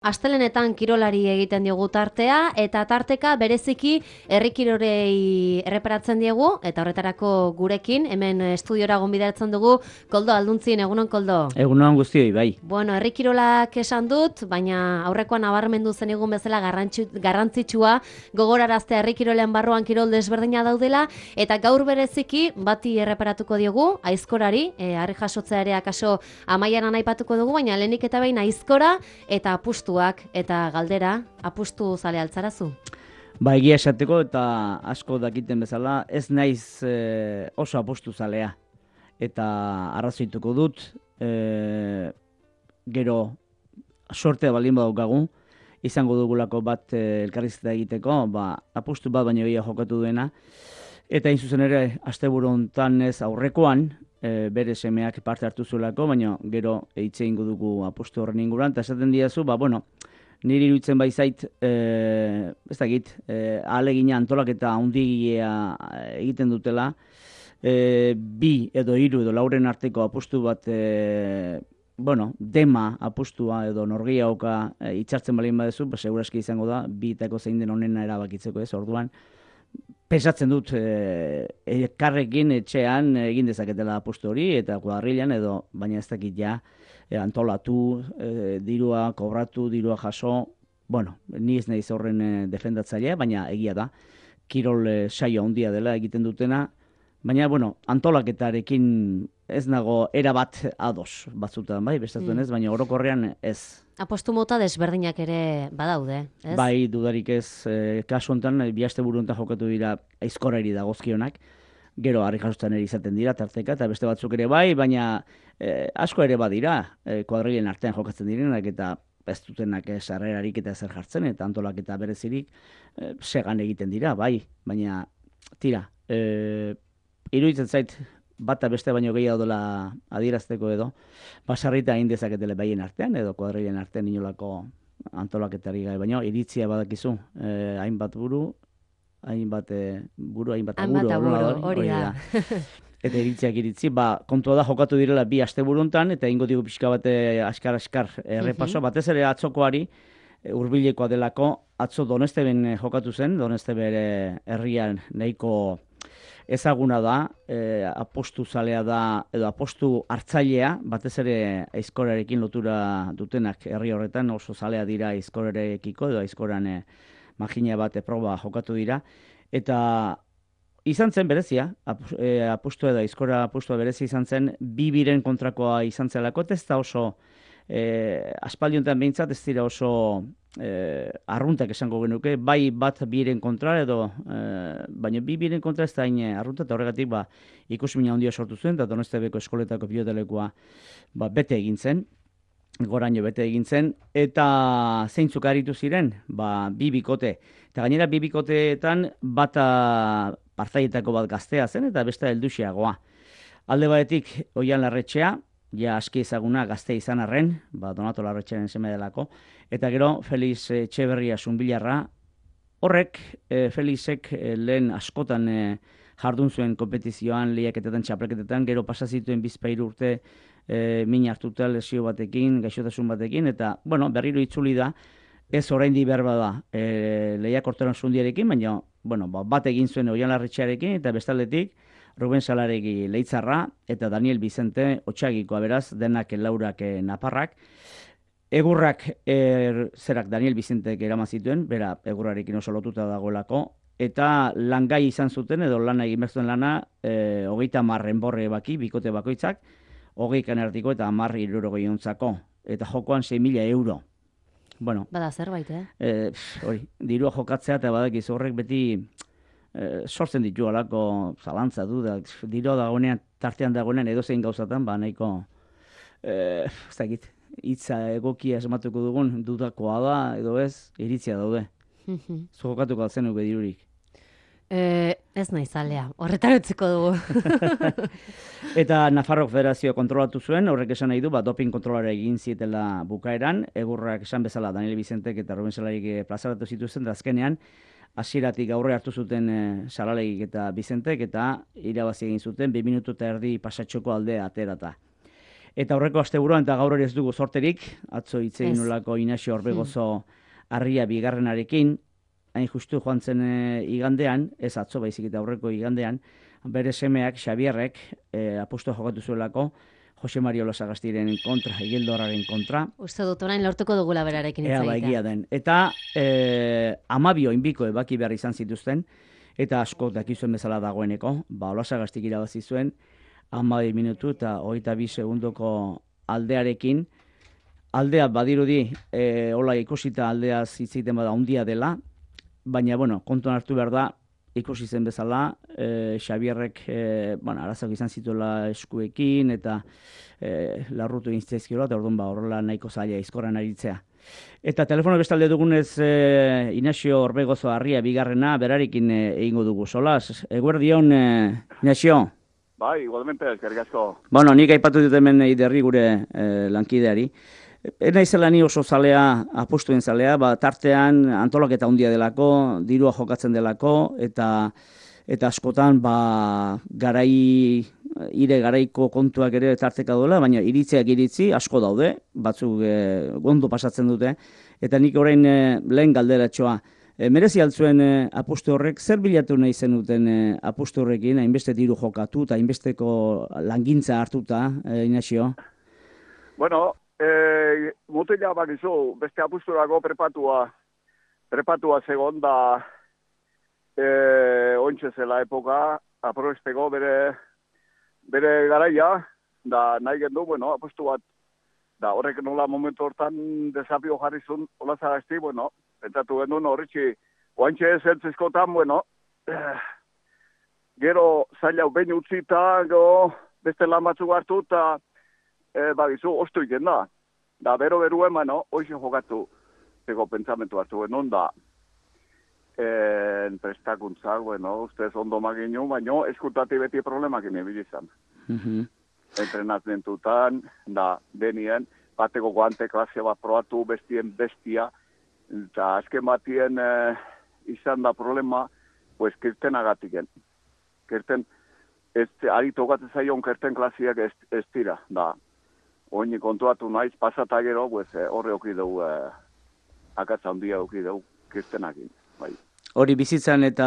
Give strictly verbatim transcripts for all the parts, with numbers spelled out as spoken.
Astelenetan kirolari egiten diogu tartea eta tarteka bereziki herri kirolei erreparatzen diegu eta horretarako gurekin hemen estudiora gonbidatzen dugu Koldo Alduntzin. Egunon, Koldo. Egunon guztioi, bai. Bueno, herri kirolak esan dut, baina aurrekoan nabarmendu zen egun bezala garrantzitsua gogoraraztea herri kirolean barruan kirol desberdina daudela eta gaur bereziki bati erreparatuko diogu Aizkorari, e, harri jasotzea ere akaso Amaieran aipatuko dugu, baina lehenik eta behin Aizkora eta apustu eta galdera, apustu zale altzarazu? Ba, egia esateko eta asko dakiten bezala, ez naiz e, oso apustu zalea. Eta arrazoituko dut, e, gero sortea baldin badaukagu, izango dugulako bat e, elkarrizketa egiteko, ba, apustu bat baino gehiago jokatu duena. Eta hain zuzen ere, asteburu hontan ez aurrekoan, E, bere semeak parte hartu zuelako, baina gero eitxe ingo dugu apustu horren inguruan, eta esaten diazu, ba, bueno, niri iruditzen baizait, e, ez dakit, e, ahalegina antolaketa handigia egiten dutela, e, bi edo hiru edo lauren arteko apustu bat, e, bueno, dema apustua edo norgia oka e, itxartzen balin badezu, ba, seguraski izango da, bi etako zein den onena erabakitzeko ez, orduan, pensatzen dut elkarrekin etxean egin dezaketela apustu hori eta kuadrilan edo, baina ez dakit ja e, antolatu, e, dirua kobratu, dirua jaso, bueno, ni ez naiz horren e, defendatzailea, baina egia da, kirol e, saio handia dela egiten dutena, baina, bueno, antolaketarekin ez nago erabat ados batzutan, bai, bestatzen ez, baina orokorrean ez. Apostu mota desberdinak ere badaude, ez? Bai, dudarik ez, e, kasu honetan, bi asteburu honetan jokatu dira Aizkorari dagozkionak, gero harri jasotzen ere izaten dira, tarteka, eta beste batzuk ere bai, baina e, asko ere badira, e, kuadrilen artean jokatzen direnak, eta ez dutenak sarrerarik eta zer jartzen, eta antolak eta berezirik e, segan egiten dira, bai, baina tira, e, iruditzen zait, bata beste baino gehiago dela adierazteko edo, basarrita egin dezaketele baien artean, edo kuadrilen artean inolako antolaketari gai, baino iritzia badakizu, eh, hainbat buru, hainbat eh, buru, hainbat aburu, aburu, hori da. Eta iritziak iritzi, ba, kontua da jokatu direla bi asteburuntan, eta ingo digu pixka bate askar-askar errepaso, batez ere atzokoari, hurbilekoa delako, atzo Donesteben jokatu zen, Donestebe herrian nahiko ezaguna da, e, apostu zalea da, edo apostu hartzailea, batez ere Aizkorarekin lotura dutenak herri horretan, oso zalea dira Aizkorarekiko, edo Aizkoran e, magina bat proba jokatu dira, eta izan zen berezia, apostu edo Aizkora apostua berezia izan zen, bi biren kontrakoa izan zelako, ez da oso E, aspaldiontan behintzat ez dira oso e, arruntak esango genuke, bai bat biren kontra edo, e, baina bi biren kontra ez da hain arrunta, eta horregatik ba, ikusmina handia sortu zuen, eta Donestebeko eskoletako pilotalekoa ba, bete egin zen, goraino bete egin zen, eta zeintzuk aritu ziren, ba, bi bikote, eta gainera bi bikoteetan bata partaietako bat gaztea zen, eta beste helduxiagoa. Alde batetik, Oian Larretxea, ja aski ezaguna gazte izan arren, ba, Donato Larretxearen seme delako, eta gero Felix Etxeberria Zunbilarra, horrek e, Felixek e, lehen askotan e, jardun zuen kompetizioan, lehiaketetan, txapelketetan, gero pasazituen bizpairu urte e, min hartuta lesio batekin, gaixotasun batekin, eta bueno, berriro itzuli da, ez oraindi behar bada e, lehiakorteran zundiarekin, baina bueno, ba, bat egin zuen Oian Larretxearekin, eta bestaldetik, Ruben Salaregi Leitzarra eta Daniel Vicente Otsagikoa, beraz, denak laurak e, naparrak. Egurrak er, zerak Daniel Vicentek eraman zituen, bera egurrarekin oso lotuta dagoelako, eta langai izan zuten, edo lana egin behar lana, e, hogeita marren borre baki, bikote bakoitzak, hogeikan erdiko eta marri hirurogei ontzako, eta jokoan sei mila euro. Bueno, bada zerbait, eh? E, hori, dirua jokatzea eta badakiz horrek beti E, sortzen ditu alako zalantza du, da, diro dagoenean, tartean dagoenean edozein gauzatan, ba nahiko, e, ez dakit, hitza egokia esmatuko dugun, dudakoa da, edo ez, iritzia daude. Zokatuko altzen nuke dirurik. E, ez nahi zalea, horretar utziko dugu. Eta Nafarrok Federazioa kontrolatu zuen, horrek esan nahi du, ba, doping kontrolara egin zietela bukaeran, egurrak esan bezala Daniel Vicentek eta Ruben Salarik plazaratu zituzten, da azkenean, hasieratik aurre hartu zuten e, Salalegik eta Vicentek, eta irabazi egin zuten, bi minutu eta erdi pasatxoko aldea aterata. Eta aurreko asteburuan eta gaur ere ez dugu sorterik, atzo hitz egin nolako Inaxio Orbegozo harria bigarrenarekin, hain justu joan zen e, igandean, ez atzo baizik eta aurreko igandean, bere semeak, Xabierrek, e, apustu jokatu zuelako, Jose Mario Lasagastiren kontra, Igeldorraren kontra. Uste dut orain lortuko dugula berarekin hitz Ea ba, egia den. Eta e, amabio inbiko ebaki behar izan zituzten, eta asko dakizuen bezala dagoeneko, ba, Olasagastik irabazi zuen, amabi minutu eta hogeita bi segundoko aldearekin. Aldea badirudi, e, hola ikusita aldea zitzeiten bada handia dela, baina, bueno, kontuan hartu behar da, ikusi zen bezala, e, Xabierrek, e, bueno, arazak izan zituela eskuekin, eta e, larrutu inzizkiola, eta orduan ba, horrela nahiko zaila izkorran aritzea. Eta telefono bestalde dugunez, e, Inaxio Orbegozo harria bigarrena, berarekin e, egingo dugu. Solas, eguerdion, e, Inaxio? Bai, igualmente, eskerrik asko. Bueno, nik aipatu dut hemen iderri gure e, lankideari. Ena izela ni oso zalea, apustuen zalea, ba, tartean antolaketa handia delako, dirua jokatzen delako, eta eta askotan ba, garai, ire garaiko kontuak ere tarteka duela, baina iritziak iritzi asko daude, batzuk e, gondo pasatzen dute, eta nik orain e, lehen galderatxoa, e, merezi altzuen e, apustu horrek, zer bilatu nahi zenuten e, apustu horrekin, hainbeste diru jokatu, eta hainbesteko langintza hartuta, e, Inaxio? Bueno, E, mutila bakizu, beste apusturako prepatua, prepatua segon da e, ointxe zela epoka, aprobesteko bere, bere garaia, da nahi gendu, bueno, apustu bat, da horrek nola momentu hortan desafio jarrizun Olazagasti, bueno, pentsatu genuen horretxi, ointxe ez eltzizkotan, bueno, eh, gero zaila behin utzita, gero beste lan batzuk hartu, eta E, bagizu, ostu iken da. Da, bero beru eman, no? Hoxe jokatu zego pentsamentu hartu genuen da. En prestakuntza, bueno, ustez ondo maginu, baina eskutati beti problemak inebilizan. Mm-hmm. Entrenatmentutan, da, denien, bateko guante klase bat probatu, bestien bestia, eta azken batien e, izan da problema, pues, kirten agatiken. Kirten, ez, ari tokatzen zaion kirten klasiak ez, ez tira, da. Oini kontuatu naiz, pasata gero, pues, horre oki dugu, eh, akatza handia oki dugu, kirtenakin. Bai. Hori bizitzan eta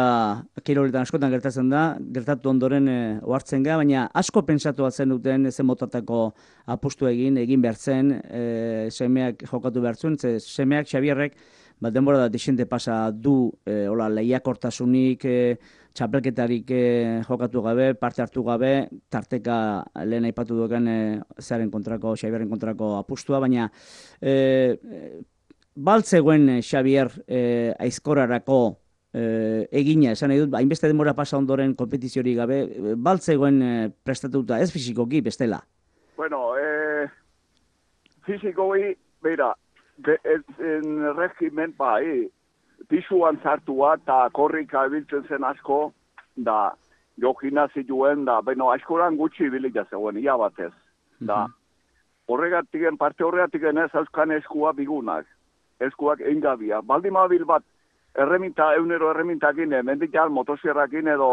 kiroletan askotan gertatzen da, gertatu ondoren e, ohartzen gara, baina asko pentsatu atzen duten zen motatako apustu egin, egin behar zen, e, semeak jokatu behar zuen, ze semeak Xabierrek, bat denbora da desente pasa du, e, hola, lehiakortasunik, e, txapelketarik e, jokatu gabe, parte hartu gabe, tarteka lehen aipatu duken e, zearen kontrako, Xabierren kontrako apustua, baina e, e, baltzegoen Xabier e, aizkorarako e, egina, esan nahi dut, hainbeste denbora pasa ondoren kompetiziori gabe, e, baltzegoen e, prestatuta, ez fisikoki, bestela? Bueno, e, fisikoi, beira, de, ez, en regimen, bai, pisuan zartua eta korrika ibiltzen zen asko, da, jo gimnazioen, da, beno, askoran gutxi ibilita zegoen, ia batez. Da, horregatiken, parte horregatiken ez euskan eskua bigunak, eskuak engabia. Baldin mabil bat, erreminta, eunero erremintakin, mendikal motosierrakin edo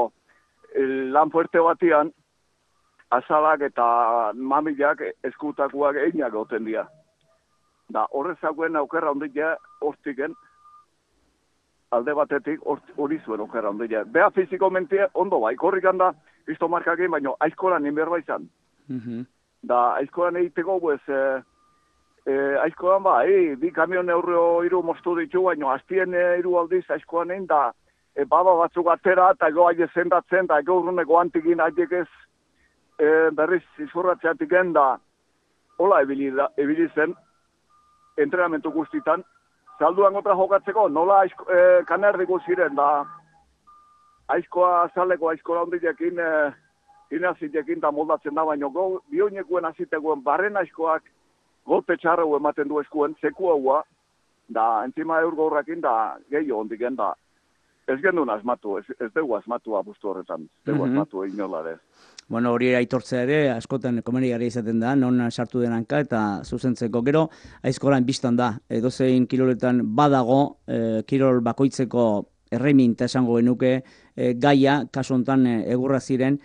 lan fuerte batian, azalak eta mamilak eskutakuak einak goten dira. Da, horrezakoen aukerra ondila hortiken, alde batetik hori zuen okerra ondila. Bea fiziko mentie ondo bai, korrikan da, izto markakin, baina aizkolan inberba izan. Mm-hmm. Da, aizkolan egiteko, pues, e, e, aizkolan ba, e, bi kamion euro iru mostu ditu, baina aztien e, iru aldiz aizkolan egin, da, e, baba batzuk atera, eta ego aile zendatzen, da, ego urruneko antikin aiek ez e, berriz izurratzeatik da, hola ebili, da, ebili zen, entrenamentu guztitan, salduan gota jokatzeko, nola aizko, e, kanerdiko ziren, da, aizkoa azaleko aizkola hondilekin, e, inazitekin da moldatzen da, baina go, bioinekuen azitekoen barren aizkoak golpe txarrau ematen du eskuen, zeku haua, da, entzima eurgorrakin, da, gehiago hondiken, da, ez gendun asmatu, ez, ez dugu asmatu apustu horretan, ez dugu mm-hmm. asmatu egin nola, ez. Bueno, hori aitortzea ere, askotan komenigarria izaten da, non sartu denanka eta zuzentzeko. Gero, aizkolan biztan da, edozein kiroletan badago, e, kirol bakoitzeko erreminta esango genuke, e, gaia, kasu honetan e, egurra ziren,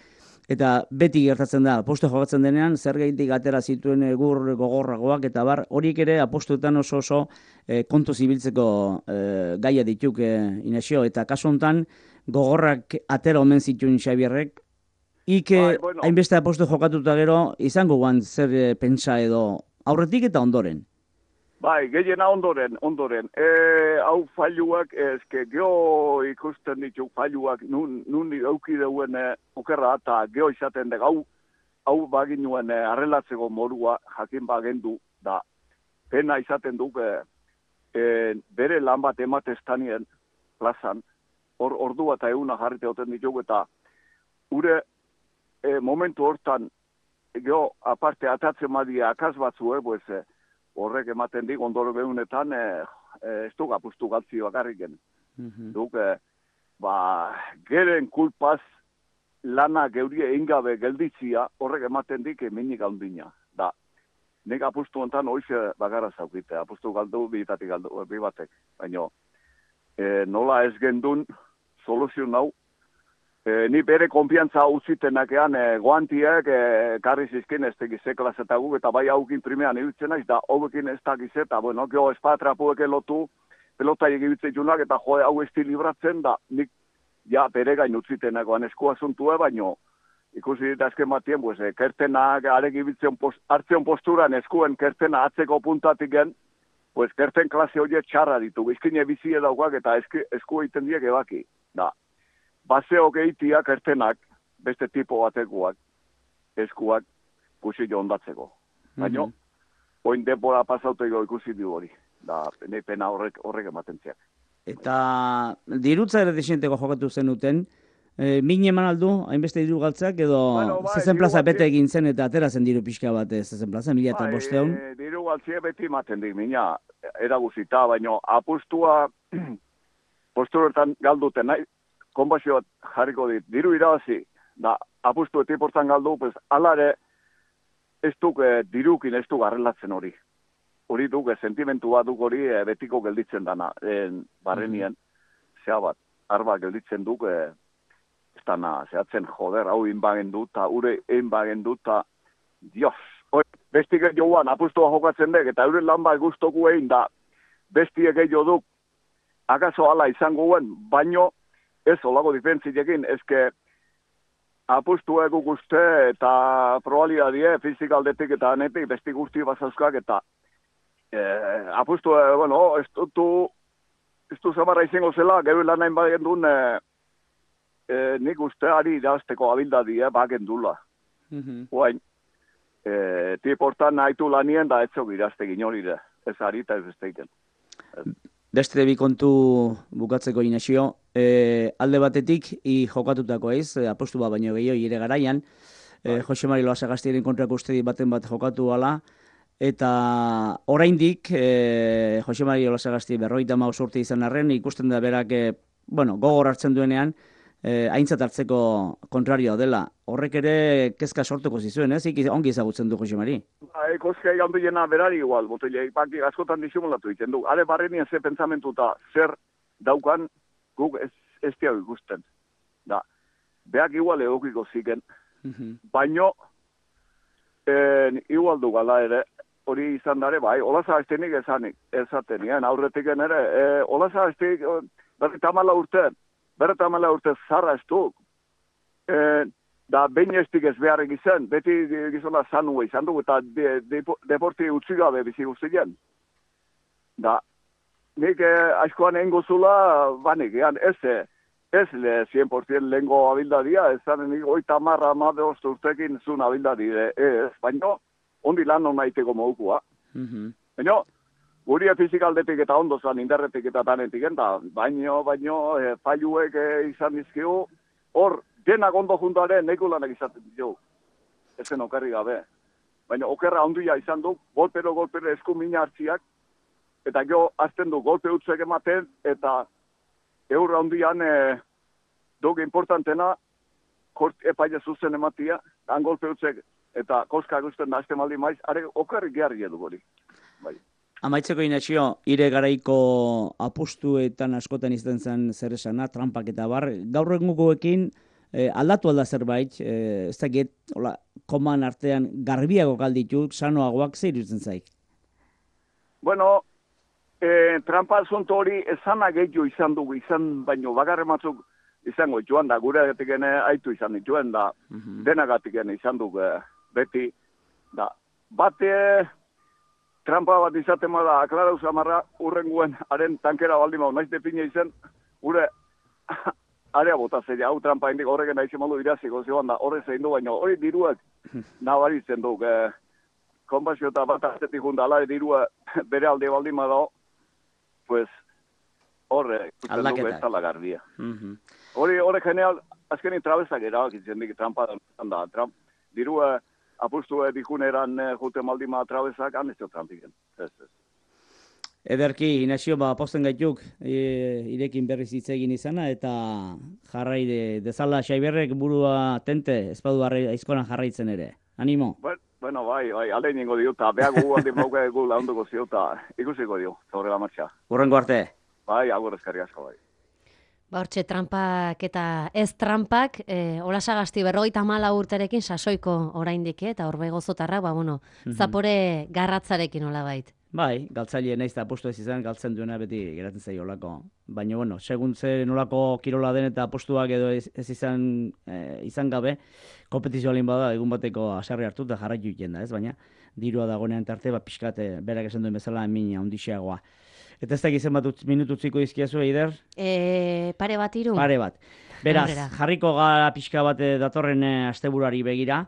Eta beti gertatzen da, apostu jokatzen denean, zer gaitik atera zituen egur gogorragoak, eta bar, horiek ere apostuetan oso oso e, kontu zibiltzeko e, gaia dituk e, Inazio, eta kasu honetan gogorrak atera omen zituen Xabierrek, ik Bai, bueno. hainbeste apostu jokatuta gero, izango guan zer e, pentsa edo aurretik eta ondoren. Bai, gehiena ondoren, ondoren. E, hau failuak, eske geho ikusten ditu failuak, nun, nun euki deuen e, okerra eta geho izaten dek, hau, hau baginuen e, arrelatzeko morua jakin bagendu, da pena izaten duk e, e, bere lan bat emateztanien plazan, hor, ordua eta eguna jarrite hoten ditugu, eta ure e, momentu hortan, geho aparte atatzen madia akaz batzue, pues, e, horrek ematen dik, ondoro behunetan, e, e, ez duk apustu galtzi bakarriken. Mm-hmm. Duk, e, ba, geren kulpaz lana geurie ingabe gelditzia, horrek ematen dik eminik handina. Da, nik apustu ontan hoize bakarra zaukite, apustu galdu, bitatik galdu, bi batek. Baina, e, nola ez gendun, soluzio nau, E, ni bere konfiantza utzitenakean e, goantiek e, karri zizkin ez tegize klasetaguk eta bai haukin primean ibiltzen naiz da hauekin ez dakize eta bueno, geho espatrapuek elotu pelota egibitzen junak eta joe hau esti libratzen da nik ja bere gain utzitenakoan eskua zuntue baino ikusi dit azken batien pues, e, kertenak aregibitzen post, hartzen posturan eskuen kertena atzeko puntatik gen pues kerten klase horiek txarra ditu izkine bizie daukak eta eski, esku egiten diek ebaki da baseok eitiak ertenak, beste tipo batekuak, eskuak, kusi jo ondatzeko. Baina, mm -hmm. oin denbora pasauteko ikusi du hori. Da, ne pena horrek, horrek ematen ziak. Eta dirutza ere desienteko jokatu zenuten, e, min eman aldu, hainbeste diru galtzak, edo bueno, bai, zezen plaza bete egin zen eta atera zen diru pixka bat zezen plaza, mila eta bosteun? E, diru galtzia beti ematen dik, mina, eraguzita, baina apustua posturetan galduten nahi, konbazio jarriko dit, diru irabazi, da, apustu etiportan galdu, pues, alare, ez duk e, dirukin ez duk arrelatzen hori. Hori duk, e, sentimentu bat duk hori e, betiko gelditzen dana, e, barrenien, mm-hmm. zea bat, arba gelditzen duk, e, ez dana, zehatzen joder, hau inbagen dut, eta ure inbagen dut, eta, dios, hori, bestik joan, apustua jokatzen dek, eta ure lan bat guztoku egin, da, bestiek egin duk, akaso ala izango guen, baino, ez, olago difentziekin, ezke apustu egu guzte eta probabilidadie fizikaldetik eta anetik besti guzti bazauzkak eta e, apustu, e, bueno, ez du, ez du zamarra izango zela, gero lan nahin bagen duen e, e, nik uste ari irazteko abildadie bagen dula. Mm-hmm. Oain, e, tiportan nahitu lanien da etzok irazte ginorire, ez ari eta ez besteiken. Beste bi kontu bukatzeko Inazio, e, alde batetik i jokatutako eiz, e, apostu bat baino gehiago ire garaian, e, Jose Mari Loazagastiaren kontrako uste baten bat jokatu ala, eta oraindik e, Jose Mari Loazagasti berrogeita hamabost urte izan arren, ikusten da berak e, bueno, gogor hartzen duenean, e, aintzat hartzeko kontrarioa dela. Horrek ere kezka sortuko zizuen, ez? Ik ongi ezagutzen du Jose Mari. Ba, kozka egan duena berari igual, botile, paki askotan disimulatu egiten du. Are barrenien ze pentsamentuta zer daukan guk ez, ez diago ikusten. Da, beak igual egokiko ziken, mm-hmm. baino eh, igual du gala ere, hori izan dare, bai, olaza estenik ezanik, ezaten, nien, aurretik ere, e, olaza estik, berreta amala urte, berreta amala urte zarra ez du, e, da behin estik ez beharrik izan, beti gizona zanua izan du, eta de, de, deporti utzi gabe bizi guztien. Da, nik eh, aizkoan egin gozula, banik, ean, ez, ez le cien por ciento lehengo abildadia, ez zaren nik oita marra amabe ostu urtekin zun abildadi, ez, baina ondi lan hona iteko mogukua. Mm-hmm. Baina, guria fizikaldetik eta ondo zan indarretik eta tanetik, eta baino, baino, e, paiuek e, izan dizkigu, hor, denak ondo juntaren neko lanak izaten ditu, ezen okerri gabe. Baina okerra ondia izan du, golpero, golpero esku mina hartziak, eta jo azten du golpe utzek ematen, eta eurra ondian e, duk importantena, kort epaile zuzen ematia, han golpe utzek, eta koska guztien da azte maldi maiz, are okerri geharri edu gori. Bai. Amaitzeko Inazio, ire garaiko apustuetan askotan izten zen zer esana, trampak eta bar, gaur egungoekin e, aldatu alda zerbait, e, ez dakit, hola, koman artean garbiago galditu, sanoagoak zer iruditzen zaik? Bueno, e, trampa zonto hori ezana gehiago izan dugu, izan baino bakarren batzuk izango joan da, gure gatikene aitu izan dituen da, mm-hmm. denagatikene izan dugu beti, da, bate trampa bat izaten da, aklarau zamarra, urrenguen, haren tankera baldin mau, naiz depine izen, gure area bota zeia, hau trampa indik horregen aizen modu iraziko zioan da, horre zein du, baina hori diruak nabaritzen du, eh, konpasio eta bat azetik junda, ala dirua bere alde baldin badao, pues, horre, ikusten dugu ez tala garbia. Mm-hmm. Hori, hori general, azkenin trabezak erabakitzen dik trampa da, tramp, dirua apustu dikuneran jute maldima trabezak, anezio trampiken, ez, ez. Ederki, Inazio, ba, posten gaituk, e, irekin berriz hitz egin izana, eta jarrai de, dezala Xaiberrek burua tente, ez badu aizkoran jarraitzen ere. Animo? Bueno, bueno bai, bai, alde ningo dio, eta behar gu alde mauka egu launduko zio, eta ikusiko dio, zaurrela martxa. Urrengo arte? Bai, agur eskarri asko, bai. Ba, hortxe, trampak eta ez trampak, e, Olasagasti berrogeita hamala urterekin sasoiko oraindik, eta horbe gozotarra, ba, bueno, mm-hmm. zapore garratzarekin olabait. Bai, galtzaile naiz eta apostu ez izan, galtzen duena beti geratzen zaio olako. Baina, bueno, segun ze nolako kirola den eta apostuak edo ez, ez izan, e, izan gabe, kompetizioa lehen bada, egun bateko asarri hartu eta jarraitu iten da, ez? Baina, dirua dagoenean tarte, ba, pixkate, berak esan duen bezala, emina, ondixeagoa. Eta ez da gizien bat minututziko izkiazu, Eider? E, pare bat iru? Pare bat. Beraz, Aurrera. jarriko gara pixka bat datorren asteburari begira,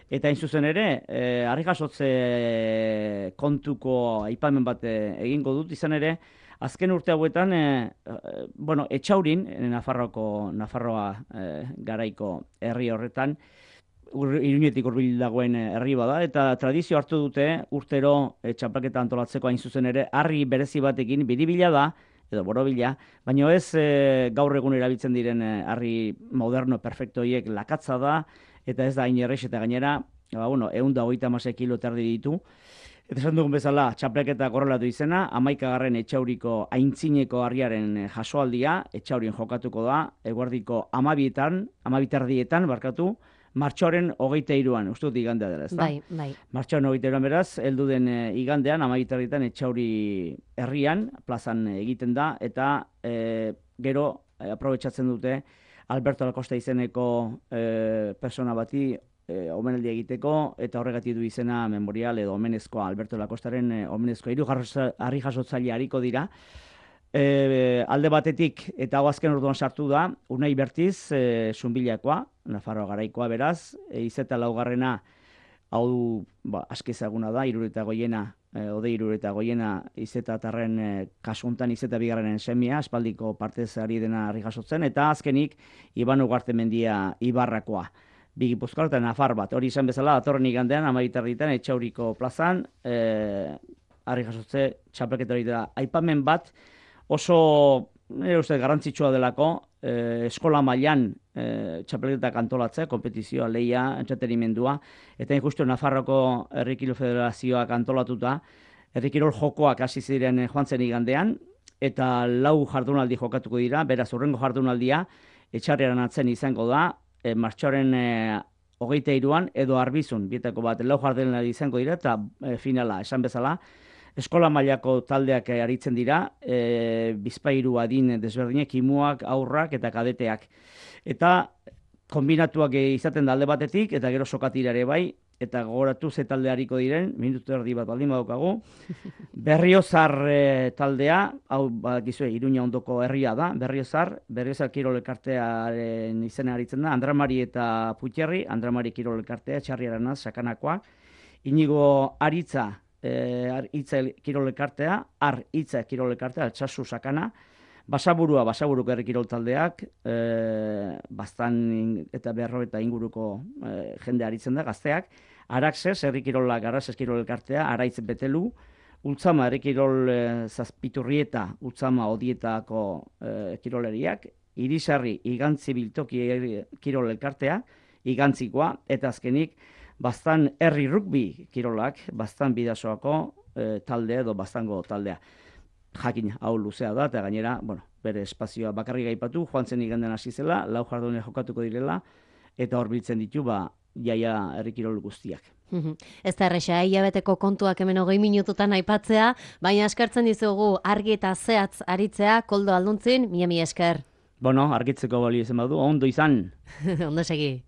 eta hain zuzen ere, e, harri jasotze kontuko aipamen bat egingo dut, izan ere, azken urte hauetan, e, e, bueno, Etxaurin, Nafarroako, Nafarroa e, garaiko herri horretan, Ur, Iruñetik hurbil dagoen herri bada, eta tradizio hartu dute urtero e, txaplaketa antolatzeko hain zuzen ere, harri berezi batekin, biribila da, edo borobila, baina ez e, gaur egun erabiltzen diren harri moderno perfecto hiek lakatza da, eta ez da hain errex eta gainera, ba, bueno, ehun eta hogeita hamasei kilo terdi ditu. Eta esan dugun bezala, txaplaketa korrelatu izena, hamaikagarren Etxauriko aintzineko harriaren jasoaldia, Etxaurien jokatuko da, eguerdiko hamabietan, hamabiterdietan, barkatu, martxoaren hogeita iruan, uste dut igandea dela, ez da? Bai, bai. Martxoaren hogeita iruan beraz, heldu den e, igandean, hamabiterdietan Etxauri herrian, plazan egiten da, eta e, gero e, aprobetxatzen dute Alberto Lacosta izeneko e, persona bati e, omenaldi egiteko, eta horregatik du izena memorial edo omenezkoa Alberto Lacostaren e, omenezkoa. Hiru harri jasotzaile hariko dira. E, alde batetik, eta hau azken orduan sartu da, Unai Bertiz, e, Zunbilakoa, Nafarroa garaikoa beraz, e, izeta laugarrena, hau ba, askezaguna da, irureta goiena, e, ode irureta goiena, izeta tarren e, kasuntan izeta bigarrenen semia, aspaldiko partez ari dena harri jasotzen, eta azkenik, Iban Ugartemendia Ibarrakoa. Bi Gipuzkoar eta Nafar bat, hori izan bezala, datorren igandean, amabiterdietan, Etxauriko plazan, e, harri jasotze txapelketa hori da. Aipamen bat, oso, nire uste, garrantzitsua delako, eh, eskola mailan eh, txapelketak antolatzea, kompetizioa, leia, entretenimendua, eta justu Nafarroko Herrikirol Federazioak antolatuta, herrikirol jokoak hasi ziren joan zen igandean, eta lau jardunaldi jokatuko dira, beraz urrengo jardunaldia, Etxarriaren atzen izango da, e, martxoaren e, hogeita iruan, edo Arbizun, bietako bat, lau jardunaldi izango dira, eta e, finala, esan bezala, eskola mailako taldeak aritzen dira, e, bizpahiru adin desberdinek, imuak, aurrak eta kadeteak. Eta kombinatuak izaten da alde batetik, eta gero sokatira ere bai, eta gogoratu ze talde hariko diren, minutu erdi bat baldin badaukagu. Berriozar e, taldea, hau badakizue, Iruña ondoko herria da, Berriozar, Berriozar Kirol Elkartearen izena aritzen da, Andramari eta Puiterri, Andramari Kirol Elkartea, Txarriaranaz, Sakanakoa, Inigo Aritza, E, hitza kirol elkartea, ar hitza kirol elkartea, altsasu sakana, basaburua, basaburuko herri kirol taldeak, e, bastan eta berro eta inguruko e, jende aritzen da, gazteak, Araxes, herri kirolak, Araxes kirol elkartea, Araitz Betelu, Ultzama, herri kirol e, zazpiturrieta, Ultzama odietako e, kiroleriak, Irisarri, Igantzi Biltoki kirol elkartea, Igantzikoa, eta azkenik, Bastan herri rugby kirolak, Bastan bidasoako e, talde edo Bastango taldea. jakin hau luzea da, eta gainera, bueno, bere espazioa bakarrik aipatu, joan zen igandean hasi zela, lau jardune jokatuko direla, eta hor biltzen ditu, ba, jaia herrikirol guztiak. Ez da erresa, hilabeteko kontuak hemen hogei minututan aipatzea, baina eskertzen dizugu argi eta zehatz aritzea, Koldo Alduntzin, mila mila esker. Bueno, argitzeko balio izan badu, ondo izan. Ondo segi.